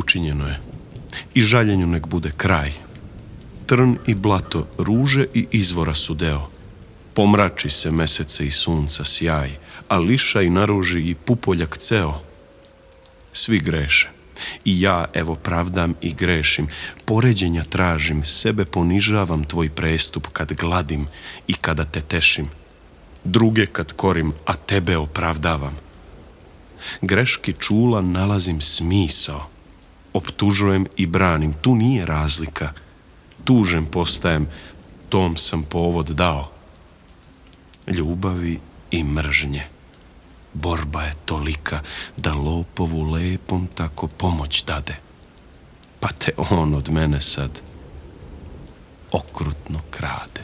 učinjeno je. I žaljenju nek bude kraj. Trn i blato, ruže i izvora su deo. Pomrači se mesece i sunca sjaj, a liša i naruži i pupoljak ceo. Svi greše. I ja, evo, pravdam i grešim. Poređenja tražim, sebe ponižavam tvoj prestup kad gladim i kada te tešim. Druge kad korim, a tebe opravdavam. Greški čula nalazim smisao. Optužujem i branim, tu nije razlika. Tužen postajem, tom sam povod dao. Ljubavi i mržnje. Borba je tolika da lopovu lepom tako pomoć dade. Pa te on od mene sad okrutno krade.